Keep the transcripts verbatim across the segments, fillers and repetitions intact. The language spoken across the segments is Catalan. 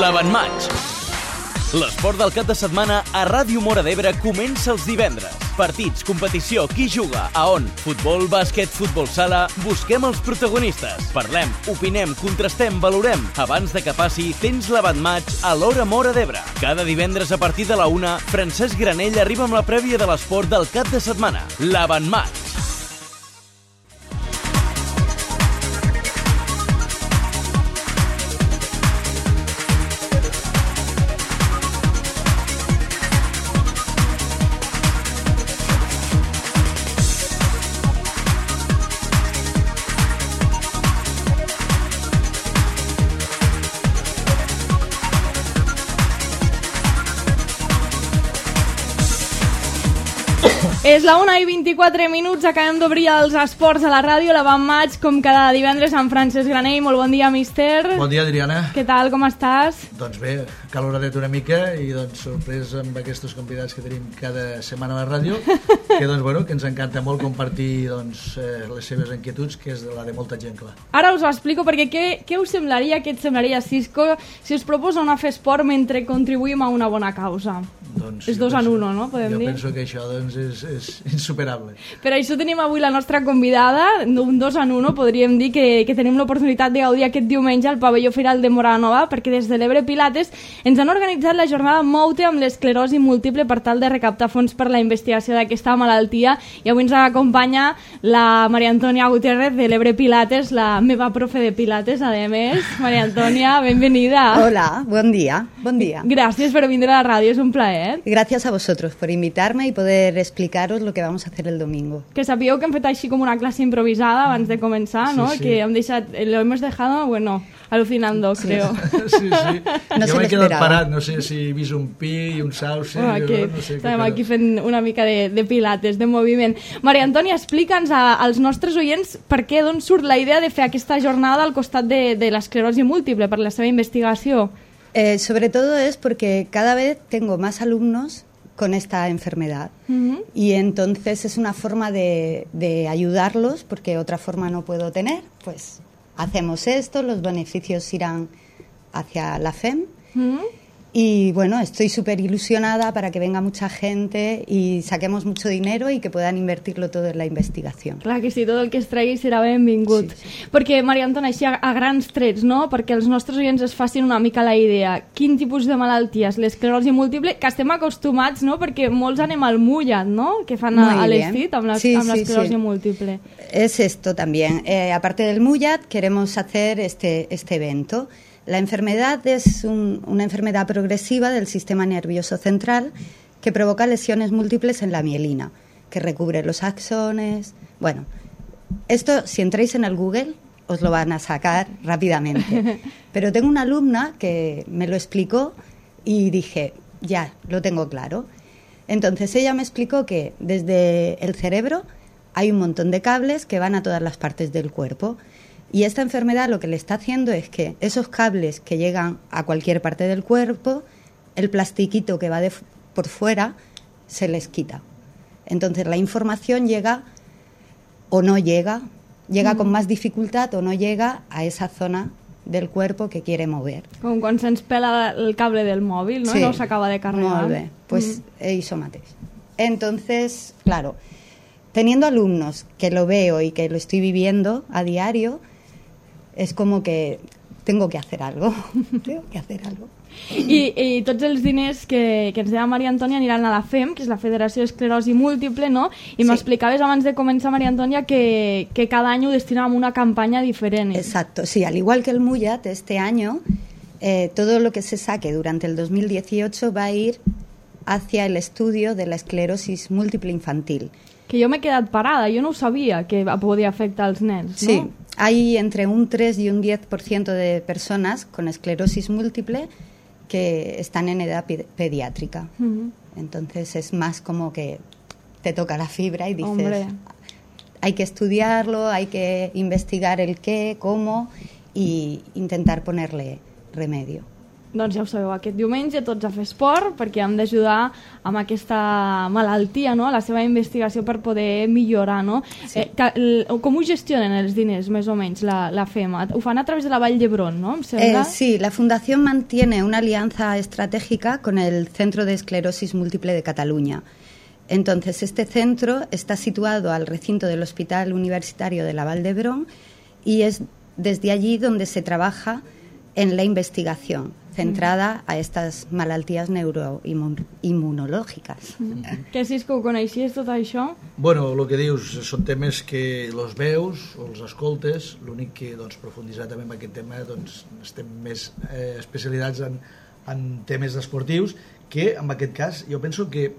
L'Avantmatx. L'esport del cap de setmana a Ràdio Móra d'Ebre comença els divendres. Partits, competició, qui juga, a on? Futbol, bàsquet, futbol sala... Busquem els protagonistes. Parlem, opinem, contrastem, valorem. Abans de que passi, tens l'Avantmatx a l'Hora Móra d'Ebre. Cada divendres a partir de la una, Francesc Granell arriba amb la prèvia de l'esport del cap de setmana. L'Avantmatx. És la una i vint-i-quatre minuts, acabem d'obrir els esports a la ràdio, l'Avantmatx, com cada divendres amb Francesc Granell. Molt bon dia, míster. Bon dia, Adriana. Què tal, com estàs? Doncs bé, caloradet una mica i doncs sorprès amb aquests convidats que tenim cada setmana a la ràdio, que doncs bueno, que ens encanta molt compartir doncs eh, les seves inquietuds, que és la de molta gent, clar. Ara us ho explico, perquè què, què us semblaria, què et semblaria, Cisco, si us proposa anar a fer esport mentre contribuïm a una bona causa? Doncs, és dos penso, en uno, no? Podem jo dir? penso que això doncs, és, és insuperable. Per això tenim avui la nostra convidada, un dos en uno, podríem dir que, que tenim l'oportunitat de gaudir aquest diumenge al pavelló Firal de Móra Nova, perquè des de l'Ebre Pilates ens han organitzat la jornada Mou-te amb l'esclerosi múltiple per tal de recaptar fons per la investigació d'aquesta malaltia, i avui ens acompanya la Maria Antònia Gutiérrez de l'Ebre Pilates, la meva profe de Pilates, a més. Maria Antònia, benvenida. Hola, buen día, buen día. Gracias por venir a la radio, es un plaer. Gracias a vosotros por invitarme y poder explicaros lo que vamos a hacer el domingo. Que sabíeu que hem fet així com una clase improvisada abans de començar, ¿no? Sí, sí. Que hem deixat, lo hemos dejado, bueno, alucinando, Sí. creo. Sí, sí. No jo se m'he quedat l'esperava. parat, no sé si he vist un pi i un sauce, Oh, aquí, no sé estem què, aquí fent una mica de, de pilates, de moviment. Maria Antònia, explica'ns a, als nostres oients per què, d'on surt la idea de fer aquesta jornada al costat de, de l'esclerosi múltiple, per la seva investigació. Eh, sobre todo es porque cada vez tengo más alumnos con esta enfermedad. Uh-huh. Y entonces es una forma de, de ayudarlos, porque otra forma no puedo tener. Pues hacemos esto, los beneficios irán hacia la F E M. Uh-huh. Y bueno, estoy súper ilusionada para que venga mucha gente y saquemos mucho dinero y que puedan invertirlo todo en la investigación. Clar que sí, tot el que es tregui serà benvingut. Sí, sí. Perquè, Maria Antònia, així a, a grans trets, no? Perquè els nostres oients es facin una mica la idea. Quin tipus de malalties? L'esclerosi múltiple, que estem acostumats, no? Perquè molts anem al mullat, no? Que fan a, Muy a bien. l'estit amb la- Sí, amb sí, l'esclerosi sí. múltiple. Es esto también. Eh, aparte del Muyat, queremos hacer este, este evento. La enfermedad es un- una enfermedad progresiva del sistema nervioso central que provoca lesiones múltiples en la mielina, que recubre los axones. Bueno, esto, si entráis en el Google, os lo van a sacar rápidamente. Pero tengo una alumna que me lo explicó y dije, ya, lo tengo claro. Entonces ella me explicó que desde el cerebro hay un montón de cables que van a todas las partes del cuerpo. Y esta enfermedad lo que le está haciendo es que esos cables que llegan a cualquier parte del cuerpo, el plastiquito que va de, por fuera, se les quita. Entonces la información llega o no llega, llega mm. con más dificultad o no llega a esa zona del cuerpo que quiere mover. Com quan se'ns pela el cable del mòbil, no? Sí. I no s'acaba de carregar. Molt bé. Pues Mm. eso mateix. Entonces, claro, teniendo alumnos que lo veo y que lo estoy viviendo a diario, es como que tengo que hacer algo. Tengo que hacer algo. I, i tots els diners que, que ens deia Maria Antònia aniran a la F E M, que és la Federació d'Esclerosi Múltiple, no? I Sí. m'explicaves abans de començar, Maria Antònia, que, que cada any ho destinàvem a una campanya diferent. Exacto, sí, al igual que el Muyat, este año eh, todo lo que se saque durante el dos mil dieciocho va a ir hacia el estudio de la esclerosis múltiple infantil. Que jo m'he quedat parada, jo no ho sabia que podia afectar els nens, no? Sí, hay entre un tres y un diez por ciento de personas con esclerosis múltiple que están en edad pe- pediátrica. Mhm. Entonces es más como que te toca la fibra y dices, Hombre. hay que estudiarlo, hay que investigar el qué, cómo y intentar ponerle remedio. Doncs ja ho sabeu, aquest diumenge tots a fer esport perquè hem d'ajudar amb aquesta malaltia, no? La seva investigació per poder millorar, no? Sí. Eh, que, l, com ho gestionen els diners, més o menys, la, la FEMA? Ho fan a través de la Vall d'Hebron, ¿no? ¿Em sembla? Eh, sí, la Fundación mantiene una alianza estratégica con el Centro de Esclerosis Múltiple de Cataluña. Entonces, este centro está situado al recinto del Hospital Universitario de la Vall d'Hebron y es desde allí donde se trabaja en la investigación centrada a estas malalties neuroinmunològiques. Mm. Que si és que ho coneixies, tot això? Bueno, el que dius són temes que els veus o els escoltes, l'únic que doncs, profunditzar també en aquest tema doncs, estem més eh, especialitzats en, en temes esportius, que en aquest cas jo penso que eh,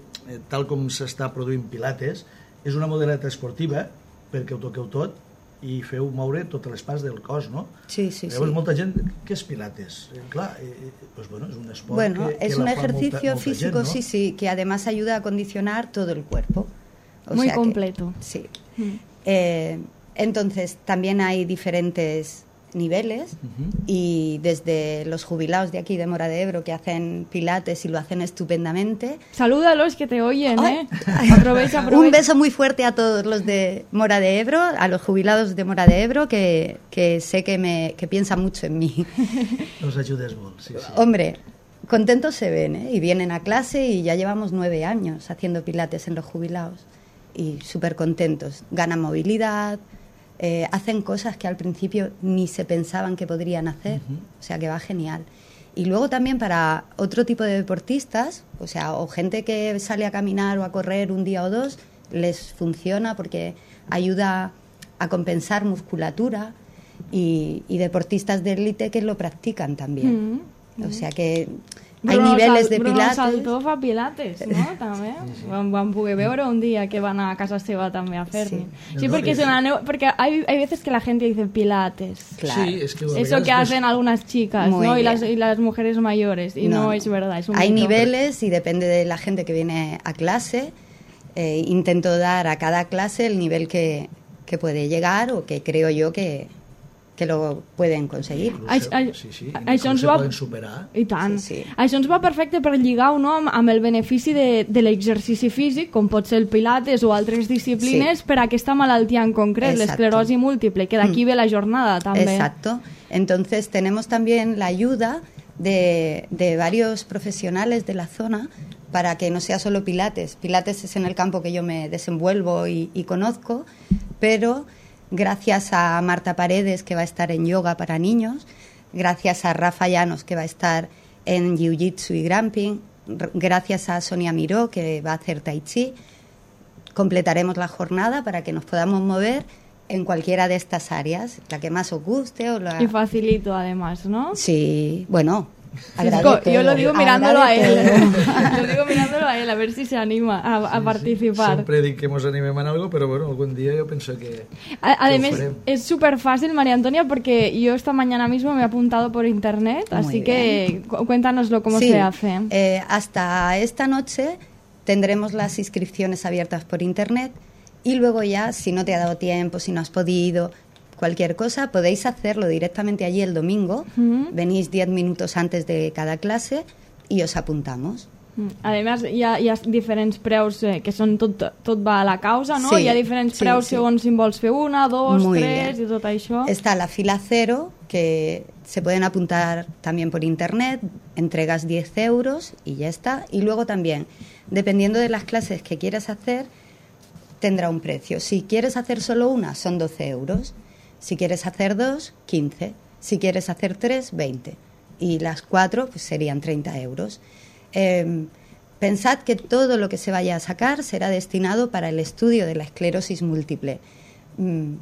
tal com s'està produint Pilates és una modalitat esportiva perquè ho toqueu tot i feu moure totes les parts del cos, ¿no? Sí, sí, Llavors, sí. molta gent, què és Pilates? Eh, clar, eh, pues bueno, és un esport Bueno, que, que es la un fa ejercicio molta, molta físico, gent, ¿no? sí, sí, que además ayuda a condicionar todo el cuerpo. O Muy sea que- completo. sí. Mm. Eh, entonces, también hay diferentes niveles Ujú. y desde los jubilados de aquí de Mora de Ebro que hacen pilates y lo hacen estupendamente. Salúdalos que te oyen, ¿eh? Ay. Aprovecha, aprovecha. Un beso muy fuerte a todos los de Mora de Ebro, a los jubilados de Mora de Ebro, que, que sé que, me, que piensan mucho en mí. Nos ayudes molt, sí, sí. Hombre, contentos se ven, ¿eh? Y vienen a clase y ya llevamos nueve años haciendo pilates en los jubilados y súper contentos. Ganan movilidad, eh, hacen cosas que al principio ni se pensaban que podrían hacer, Ujú. o sea que va genial. Y luego también para otro tipo de deportistas, o sea, o gente que sale a caminar o a correr un día o dos, les funciona porque ayuda a compensar musculatura y, y deportistas de élite que lo practican también. Mm. O sea que hay Bruno niveles Sal- de Bruno pilates. Saltó fa pilates, no? També. Vam, vam poder veure un dia que van a casa seva també a fer-ne. Sí. Sí, No, porque, es- es una neu- porque hay, hay veces que la gente dice pilates. Claro. Sí, es que a Eso vegades que ves- hacen algunas chicas, Muy ¿no? Y bien. las, y las mujeres mayores. Y no, es verdad, es un Hay mito. niveles y depende de la gente que viene a clase. Eh, intento dar a cada clase el nivel que, que puede llegar o que creo yo que, que lo pueden conseguir. Inclús Ai- se- ai- sí, sí, això inclús ens se va- poden superar. I tant. Sí, sí. Això ens va perfecte per lligar-ho, no? amb, amb el benefici de, de l'exercici físic, com pot ser el pilates o altres disciplines, Sí. per a aquesta malaltia en concret, Exacto. l'esclerosi múltiple, que d'aquí ve la jornada també. Exacto. Entonces tenemos también la ayuda de, de varios profesionales de la zona para que no sea solo Pilates. Pilates es en el campo que yo me desenvuelvo y, y conozco, pero gracias a Marta Paredes, que va a estar en yoga para niños, gracias a Rafa Llanos, que va a estar en jiu-jitsu y grappling, r- gracias a Sonia Miró, que va a hacer tai chi, completaremos la jornada para que nos podamos mover en cualquiera de estas áreas, la que más os guste o la... Y facilito, además, ¿no? Sí, bueno, Sí, agrade yo lo todo, digo mirándolo a agrade él. todo. Lo digo mirándolo a él, a ver si se anima a, a participar. Sempre dic que mos animem en algo, però bueno, algun dia jo penso que... A- que ho Además, farem. es súper fácil, María Antonia, porque yo esta mañana mismo me he apuntado por internet, Muy así que cu- cuéntanoslo cómo Sí, se hace. eh, hasta esta noche tendremos las inscripciones abiertas por internet y luego ya, si no te ha dado tiempo, si no has podido, cualquier cosa, podéis hacerlo directamente allí el domingo. Ujú. Venís diez minutos antes de cada clase y os apuntamos. Mm. Además, hi ha, hi ha diferents preus eh, que són tot, tot va a la causa, no? Sí, Hi ha diferents sí, preus sí. segons si en vols fer una, dos, Muy tres bien. i tot això. Está la fila cero, que se pueden apuntar también por internet, entregas diez euros y ya está. Y luego también, dependiendo de las clases que quieras hacer, tendrá un precio. Si quieres hacer solo una, son doce euros. Si quieres hacer dos, quince. Si quieres hacer tres, veinte. Y las cuatro, pues serían treinta euros. Eh, pensad que todo lo que se vaya a sacar será destinado para el estudio de la esclerosis múltiple. Mm,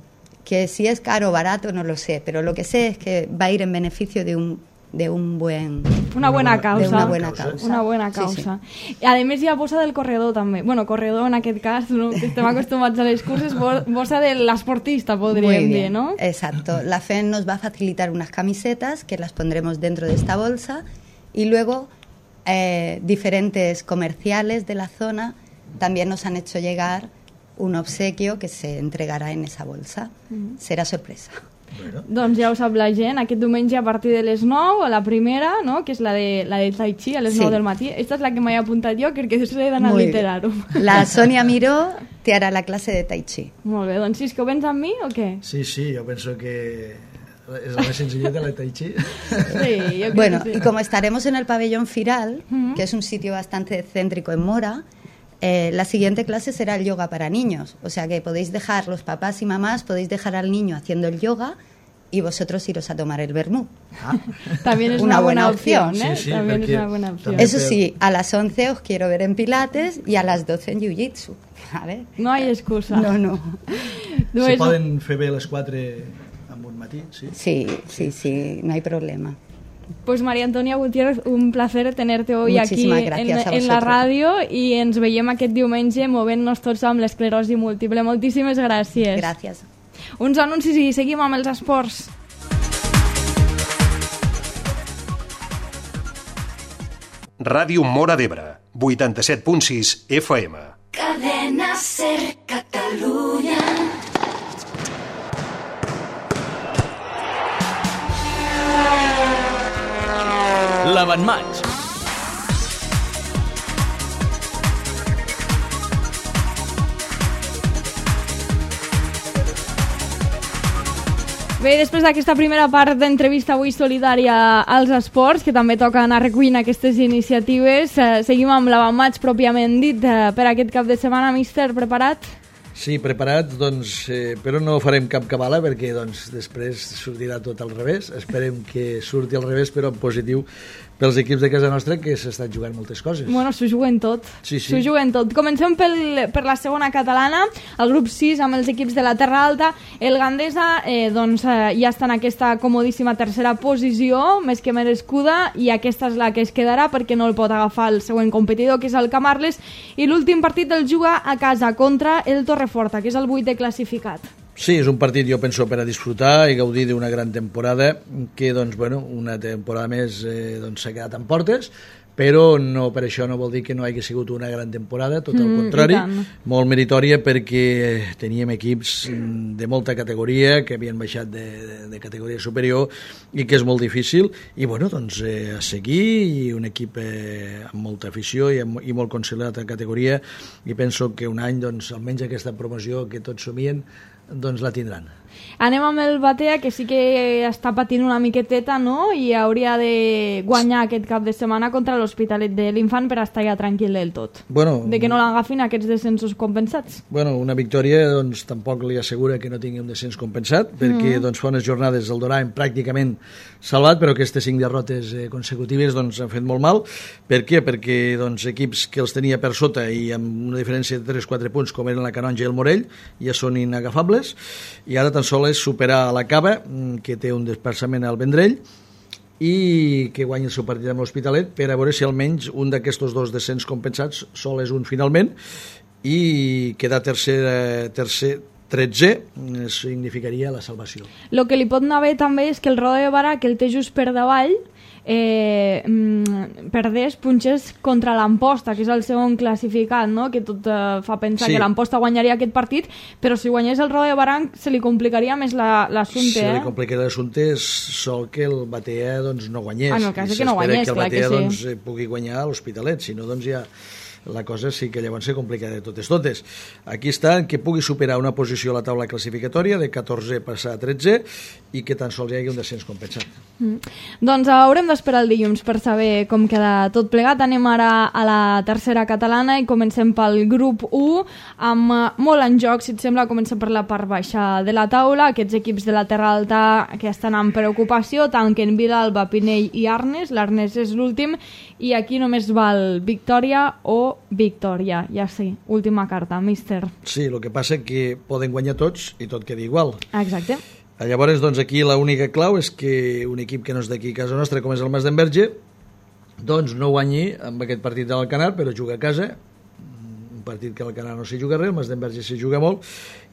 que si es caro o barato no lo sé, pero lo que sé es que va a ir en beneficio de un, de un buen... Una buena causa. De una buena Causa. causa. Una buena Sí, causa. I a més hi ha bossa del corredor també. Bueno, corredor en aquest cas, no? Que estem acostumats a les curses, bo- bossa de l'esportista, Muy podríem dir, bien, no? exacto. La F E N nos va a facilitar unas camisetas que las pondremos dentro de esta bolsa y luego eh, diferentes comerciales de la zona también nos han hecho llegar un obsequio que se entregará en esa bolsa. Será sorpresa. Bueno. Doncs ja ho sap la gent, aquest diumenge a partir de les nou, a la primera, no? Que és la de, la de Tai Chi, a les Sí. nou del matí. Esta és la que m'he apuntat jo, crec que he d'anar a Muy literar-ho. bien. La Sonia Miró te hará la clase de Tai Chi. Molt bé, doncs sí, és que ho vens amb mi o què? Sí, sí, jo penso que és la més senzilleta, la Tai Chi. Sí, jo crec Bueno, que sí. y como estaremos en el pabellón Firal, Ujú. que es un sitio bastante céntrico en Mora, eh, la siguiente clase será el yoga para niños. O sea que podéis dejar, los papás y mamás, podéis dejar al niño haciendo el yoga y vosotros iros a tomar el vermú. Ah, También es Una una, buena, buena opción, opción. ¿eh? Sí, sí, También es perquè una buena opción. també- Eso sí, a las once os quiero ver en Pilates y a las doce en Jiu-Jitsu. A ver. No hay excusa. No, no. No se és- poden fer bé les quatre amb un matí, sí? Sí, sí, sí, no hay problema. Pues María Antonia Gutiérrez, un placer tenerte hoy aquí Muchísimas en, gracias a en la vosotros. ràdio i ens veiem aquest diumenge movent-nos tots amb l'esclerosi múltiple. Moltíssimes gràcies. Gracias. Uns anuncis i seguim amb els esports. Ràdio Móra d'Ebre, vuitanta-set punt sis F M. Cadena Ser Catalunya. L'avantmatx. Bé, després d'aquesta primera part d'entrevista avui solidària als esports, que també toca anar recuint aquestes iniciatives, eh, seguim amb l'avantmatx pròpiament dit eh, per aquest cap de setmana. Míster, preparat? Sí, preparats, doncs, eh, però no farem cap cabala perquè doncs, després sortirà tot al revés. Esperem que surti al revés, però en positiu pels equips de casa nostra que s'estan jugant moltes coses. Bueno, s'ho juguen tot. Sí, sí. S'ho juguen tot. Comencem pel, per la segona catalana, el grup sis amb els equips de la Terra Alta. El Gandesa eh, doncs, eh, ja està en aquesta comodíssima tercera posició, més que merescuda, i aquesta és la que es quedarà perquè no el pot agafar el següent competidor, que és el Camarles, i l'últim partit el juga a casa contra el Torreforta, que és el vuitè classificat. Sí, és un partit, jo penso, per a disfrutar i gaudir d'una gran temporada que, doncs, bueno, una temporada més eh, doncs, s'ha quedat en portes, però no, per això no vol dir que no hagi sigut una gran temporada, tot el Mm, contrari, i tant. molt meritòria perquè teníem equips de molta categoria que havien baixat de, de, de categoria superior i que és molt difícil, i bueno, doncs eh, a seguir, i un equip eh, amb molta afició i, amb, i molt consolidat en categoria, i penso que un any, doncs, almenys aquesta promoció que tots somien, doncs la tindran. Anem amb el Batea, que sí que està patint una miqueteta, no? I hauria de guanyar aquest cap de setmana contra l'Hospitalet de l'Infant per estar ja tranquil del tot. Bueno, De que no l'agafin aquests descensos compensats. Bueno, una victòria doncs, tampoc li assegura que no tingui un descens compensat, perquè doncs, fa unes jornades el Doraem pràcticament salvat, però aquestes cinc derrotes eh, consecutives doncs, han fet molt mal. Per què? Perquè doncs, equips que els tenia per sota i amb una diferència de tres o quatre punts, com eren la Canonja i el Morell, ja són inagafables, i ara tan sols és superar la Cava, que té un desplaçament al Vendrell, i que guanyi el seu partit amb l'Hospitalet per a veure si almenys un d'aquests dos descens compensats sol és un finalment, i quedar tercer, tercer tretzè significaria la salvació. El que li pot anar bé també és que el Roda de Barà, que el té just per davall, eh, mm, perdés punxes contra l'Amposta, que és el segon classificat, no? Que tot eh, fa pensar Sí. que l'Amposta guanyaria aquest partit, però si guanyés el Roda de Barà se li complicaria més la- l'assumpte. Si eh? li complica l'assumpte és sol que el Batea doncs, no guanyés. Ah, en el cas I de que no s'espera guanyés, que el clar que Batea sí. doncs, eh, pugui guanyar a l'Hospitalet, si no doncs ja la cosa sí que llavors se complica de totes totes. Aquí està que pugui superar una posició a la taula classificatòria de catorzè passar a tretzè i que tan sols hi hagi un descens compensat. Mm. Doncs haurem d'esperar el dilluns per saber com queda tot plegat. Anem ara a la tercera catalana i comencem pel grup u, amb eh, molt en joc, si et sembla. Comencem per la part baixa de la taula. Aquests equips de la Terra Alta que estan en preocupació, tanquen Vilalba, Pinell i Arnes. L'Arnes és l'últim i aquí només val victòria o victòria. Ja sí, última carta, míster. Sí, el que passa que poden guanyar tots i tot queda igual. Exacte. Llavors, doncs, aquí l'única clau és que un equip que no és d'aquí a casa nostra, com és el Mas d'Enverge, doncs no guanyi amb aquest partit de l'Alcanar, però juga a casa, un partit que l'Alcanar no s'hi juga res, el Mas d'Enverge s'hi juga molt,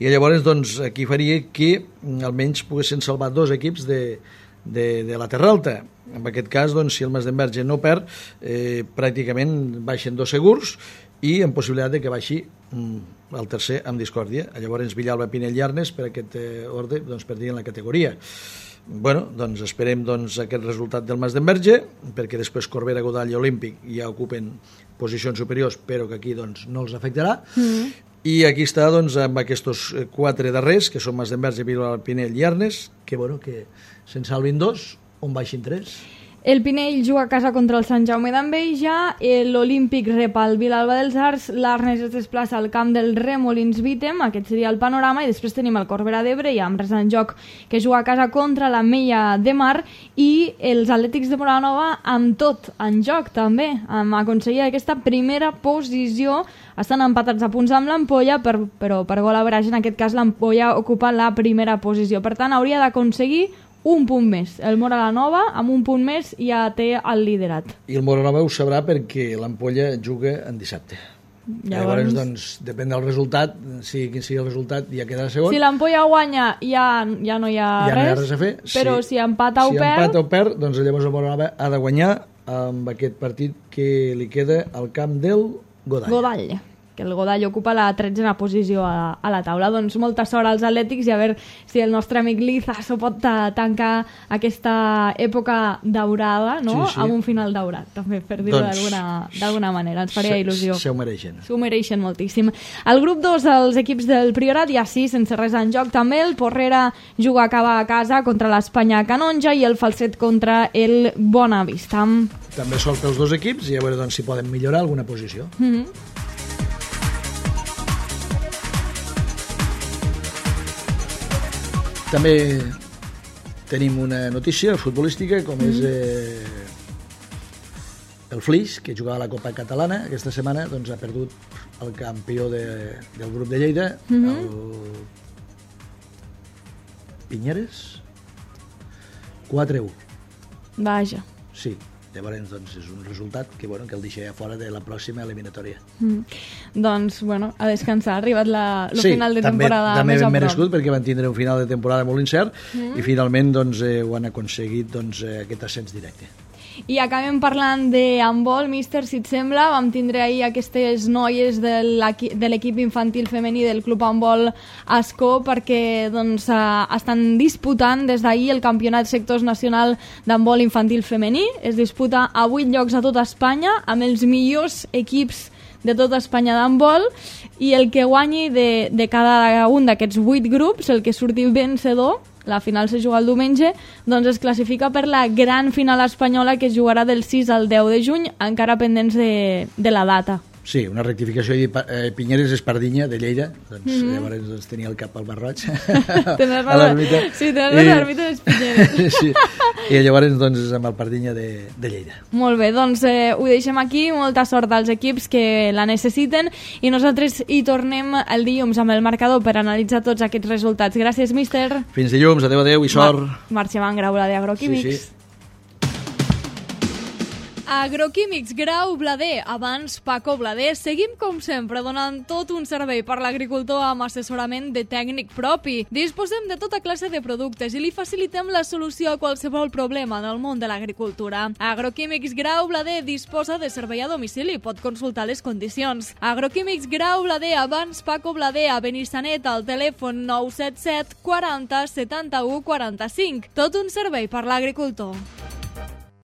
i llavors, doncs, aquí faria que almenys poguessin salvar dos equips de, de, de la Terra Alta. En aquest cas, doncs, si el Mas d'Enverge no perd, eh, pràcticament baixen dos segurs, i amb possibilitat de que baixi mm, el tercer amb discòrdia. Llavors Villalba, Pinell i Arnes per aquest eh, ordre doncs, perdrien la categoria. Bueno, doncs esperem doncs, aquest resultat del Mas d'Enverge, perquè després Corbera, Godall i Olímpic ja ocupen posicions superiors, però que aquí doncs, no els afectarà. Mm. I aquí està doncs, amb aquests quatre darrers, que són Mas d'Enverge, Villalba, Pinell i Arnes, que, bueno, que se'n salvin dos, on baixin tres. El Pinell juga a casa contra el Sant Jaume d'Enveja, l'Olímpic rep el Vilalba dels Arcs, l'Arnes es desplaça al camp del Remolins Vítem, aquest seria el panorama, i després tenim el Corbera d'Ebre i amb res en joc, que juga a casa contra la Mella de Mar, i els Atlètics de Moranova amb tot en joc també, amb aconseguir aquesta primera posició. Estan empatats a punts amb l'Ampolla, per, però per gol average en aquest cas l'Ampolla ocupa la primera posició. Per tant, hauria d'aconseguir un punt més. El Moranova, amb un punt més, ja té el liderat. I el Moranova ho sabrà perquè l'Ampolla juga en dissabte. Llavors, Llavors doncs, depèn del resultat, si quin sigui el resultat, ja quedarà segon. Si l'Ampolla guanya, ja, ja no hi ha ja res, no hi ha res a fer. Però si, si empata o si perd... Si empata o perd, doncs llavors el Moranova ha de guanyar amb aquest partit que li queda al camp del Godall. Godall. Que el Godall ocupa la tretzena posició a, a la taula. Doncs molta sort als Atlètics i a veure si el nostre amic Liza s'ho pot tancar aquesta època daurada, no? Sí, sí. Amb un final daurat, també, per dir-ho doncs, d'alguna manera. Ens faria il·lusió. Se ho mereixen. S'ho mereixen moltíssim. El grup dos, els equips del Priorat, ja sí, sense res en joc també. El Porrera juga a acabar a casa contra l'Espanya Canonja i el Falset contra el Bonavista. També sort pels dos equips i a veure doncs, si poden millorar alguna posició. Mm-hmm. També tenim una notícia futbolística, com mm. és eh, el Flix, que jugava a la Copa Catalana aquesta setmana, doncs ha perdut el campió de, del grup de Lleida, mm-hmm. el Pinyeres, quatre a u. Vaja. Sí. Llavors, doncs, és un resultat que, bueno, que el deixa fora de la pròxima eliminatòria. Mm. Doncs, bueno, a descansar. Ha arribat la, el sí, final de també, temporada també més a prop. merescut, perquè van tindre un final de temporada molt incert mm. i finalment doncs, eh, ho han aconseguit doncs, eh, aquest ascens directe. I acabem parlant de handbol, míster, si et sembla. Vam tindre ahir aquestes noies de l'equip infantil femení del Club Handbol Ascó perquè doncs, estan disputant des d'ahir el campionat sectors nacional d'handbol infantil femení. Es disputa a vuit llocs a tota Espanya amb els millors equips de tota Espanya d'handbol i el que guanyi de, de cada un d'aquests vuit grups, el que surti vencedor, la final se juga el diumenge, doncs es classifica per la gran final espanyola que es jugarà del sis al deu de juny, encara pendents de, de la data. Sí, una rectificació. Eh, Pinyeres és Pardinya, de Lleida, doncs mm-hmm. llavors doncs, tenia el cap al Barroig. Tens a l'ermita. Sí, tens I... l'ermita dels Pinyeres. Sí, i llavors doncs, és amb el Pardinya de, de Lleida. Molt bé, doncs eh, ho deixem aquí, molta sort als equips que la necessiten i nosaltres hi tornem el dilluns amb el marcador per analitzar tots aquests resultats. Gràcies, míster. Fins dilluns, adeu, adeu i sort. Mar Marxem en Grau Blader Agroquímics. Sí, sí. Agroquímics Grau Blader, abans Paco Blader. Seguim com sempre donant tot un servei per l'agricultor amb assessorament de tècnic propi. Disposem de tota classe de productes i li facilitem la solució a qualsevol problema en el món de l'agricultura. Agroquímics Grau Blader disposa de servei a domicili, pot consultar les condicions. Agroquímics Grau Blader, abans Paco Blader, a Benissanet, al telèfon nou set set quaranta setanta-u quaranta-cinc. Tot un servei per l'agricultor.